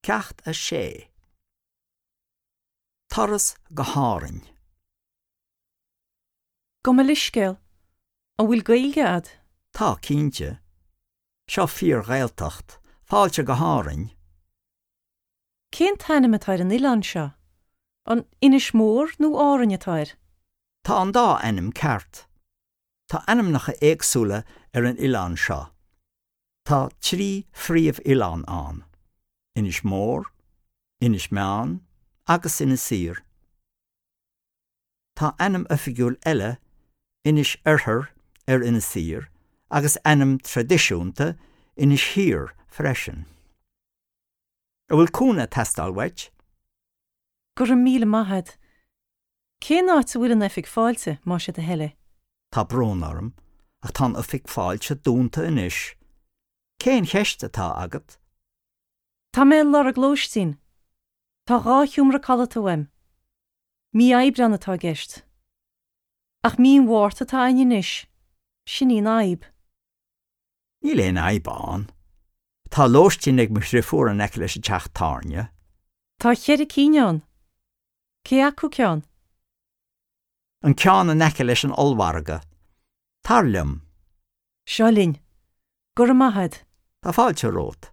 Ceacht 6. Turas go hÁrainn. Gabh mo leithscéal, an bhfuil Gaeilge a'd? Tá, cinnte. Seo fíor-Ghaeltacht. Fáilte go hÁrainn. Cén t-ainm atá ar an oileán seo? An Inis Mór nó Árainn atá air? Tá an dá ainm ceart. Tá ainmneacha éagsúla ar an oileán seo. Tá trí phríomh-oileán ann, Inis Mór, Inis Meáin agus Inis Oírr. Tá ainm oifigiúil eile, Inis Oirthear, ar Inis Oírr agus ainm traidisiúnta, Inis Thiar, freisin. An bhfuil cúnamh ag teastáil uait? Go raibh míle maith a'd. Cén áit a bhfuil an oifig fáilte, más é do thoil é? Tá brón orm, ach tá an oifig fáilte dúnta anois. Cén cheist atá agat? Tá mé ag lorg lóistín. Tá dhá sheomra codlata uaim. Mí Aibreán atá i gceist. Ach mí an Mhárta atá againn anois. Sin í an fhadhb. Níl aon fhadhb ann. Tá lóistín ag mo dhriofúr in aice leis an teach tábhairne. Tá cheithre cinn ann. Cé acu ceann? An ceann in aice leis an ollmhargadh. Tar liom. Seo linn. Go raibh maith a'd. Tá fáilte romhat.